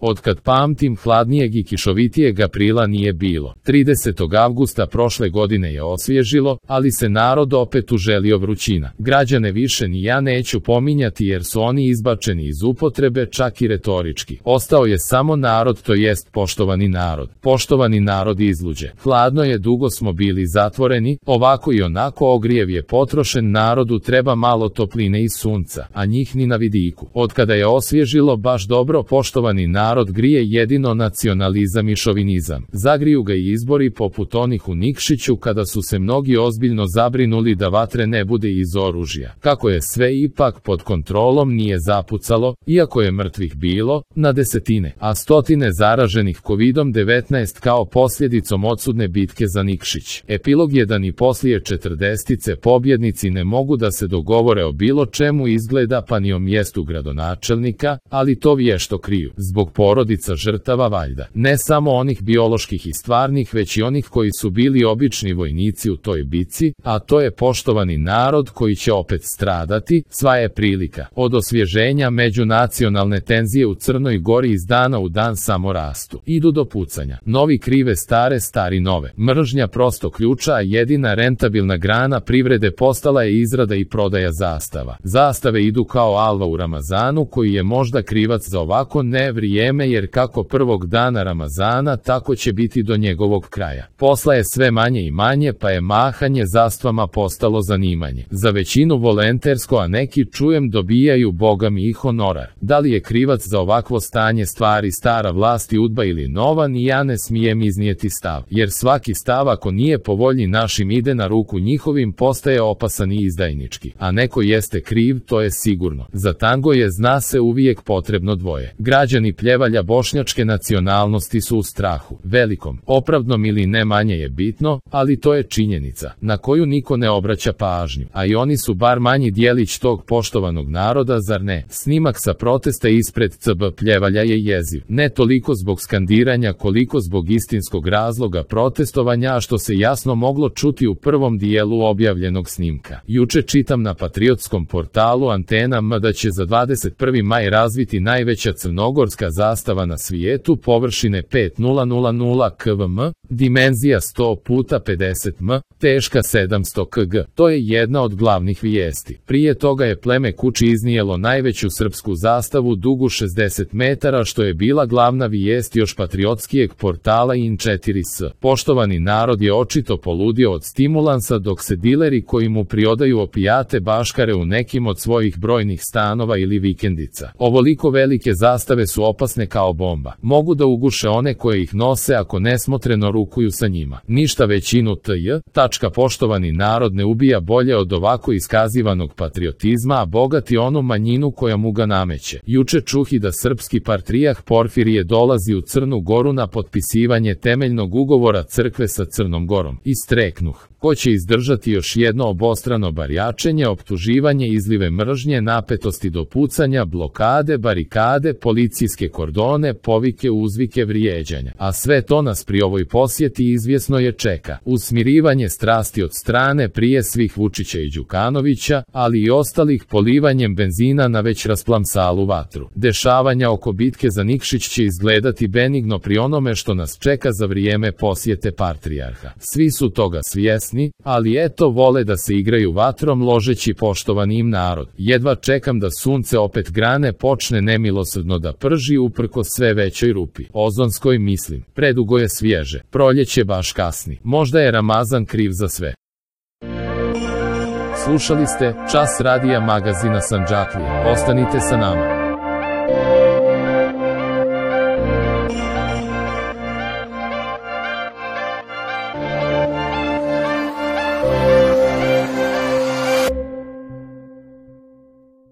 Otkad pamtim, hladnijeg i kišovitijeg aprila nije bilo. 30. avgusta prošle godine je osvježilo, ali se narod opet uželio vrućina. Građane više ni ja neću pominjati jer su oni izbačeni iz upotrebe, čak i retorički. Ostao je samo narod, to jest poštovani narod. Poštovani narod izluđe. Hladno je, dugo smo bili zatvoreni, ovako i onako ogrijev je potrošen, narodu treba malo topline i sunca, a njih ni na vidiku. Otkada je osvježilo baš dobro, poštovani narod grije jedino nacionalizam i šovinizam. Zagriju ga i izbori poput onih u Nikšiću kada su se mnogi ozbiljno zabrinuli da vatre ne bude iz oružja. Kako je sve ipak pod kontrolom, nije zapucalo, iako je mrtvih bilo na desetine, a stotine zaraženih COVID-19 kao posljedicom odsudne bitke za Nikšić. Epilog je da ni poslije 40 pobjednici ne mogu da se dogovore o bilo čemu izgleda, pa ni o mjestu gradonačelnika, ali to vješto kriju. Zbog porodica žrtava valjda. Ne samo onih bioloških i stvarnih, već i onih koji su bili obični vojnici u toj bici, a to je poštovani narod koji će opet stradati. Sva je prilika. Od osvježenja međunacionalne tenzije u Crnoj Gori iz dana u dan samo rastu. Idu do pucanja. Novi krive stare, stari nove. Mržnja prosto ključa, a jedina rentabilna grana privrede postala je izrada i prodaja zastava. Zastave idu kao alva u Ramazanu, koji je možda krivac za ovako vrijeme, jer kako prvog dana Ramazana, tako će biti do njegovog kraja. Posla je sve manje i manje, pa je mahanje zastvama postalo zanimanje. Za većinu volontersko, a neki, čujem, dobijaju bogami i honorar. Da li je krivac za ovakvo stanje stvari stara vlast i UDBA ili nova, ni ja ne smijem iznijeti stav, jer svaki stav ako nije po volji našim ide na ruku njihovim, postaje opasan i izdajnički. A neko jeste kriv, to je sigurno. Za tango je, zna se, uvijek potrebno dvoje. Građani Pljevalja bošnjačke nacionalnosti su u strahu, velikom, opravdnom ili ne, manje je bitno, ali to je činjenica, na koju niko ne obraća pažnju, a i oni su bar manji dijelić tog poštovanog naroda, zar ne? Snimak sa protesta ispred CB Pljevalja je jeziv, ne toliko zbog skandiranja koliko zbog istinskog razloga protestovanja, a što se jasno moglo čuti u prvom dijelu objavljenog snimka. Juče čitam na patriotskom portalu Antena M da će za 21. maj razviti najveća crnogorska zastava na svijetu, površine 5000 km, dimenzija 100x50 m, teška 700 kg. To je jedna od glavnih vijesti. Prije toga je pleme Kuči iznijelo najveću srpsku zastavu dugu 60 metara, što je bila glavna vijest još patriotskijeg portala In4S. Poštovani narod je očito poludio od stimulansa, dok se dileri koji mu priodaju opijate baškare u nekim od svojih brojnih stanova ili vikendica. Ovoliko velike zastave su opasne kao bomba. Mogu da uguše one koje ih nose ako nesmotreno rukuju sa njima. Ništa većinu poštovani narod ne ubija bolje od ovako iskazivanog patriotizma, a bogati onu manjinu koja mu ga nameće. Juče čuhi da srpski patrijarh Porfirije dolazi u Crnu Goru na potpisivanje temeljnog ugovora crkve sa Crnom Gorom. Istreknuh. Ko će izdržati još jedno obostrano barjačenje, optuživanje, izlive mržnje, napetosti do pucanja, blokade, barikade, policijske kordone, povike, uzvike, vrijeđanja. A sve to nas pri ovoj posjeti izvjesno je čeka. Usmirivanje strasti od strane prije svih Vučića i Đukanovića, ali i ostalih, polivanjem benzina na već rasplamsalu vatru. Dešavanja oko bitke za Nikšić će izgledati benigno pri onome što nas čeka za vrijeme posjete patrijarha. Svi su toga svjesni, ali eto, vole da se igraju vatrom ložeći poštovani im narod. Jedva čekam da sunce opet grane počne nemilosrdno da prži uprko sve većoj rupi. Ozonskoj, mislim. Predugo je svježe. Proljeće baš kasni. Možda je Ramazan kriv za sve. Slušali ste Čas radija magazina Sandžaklije. Ostanite sa nama.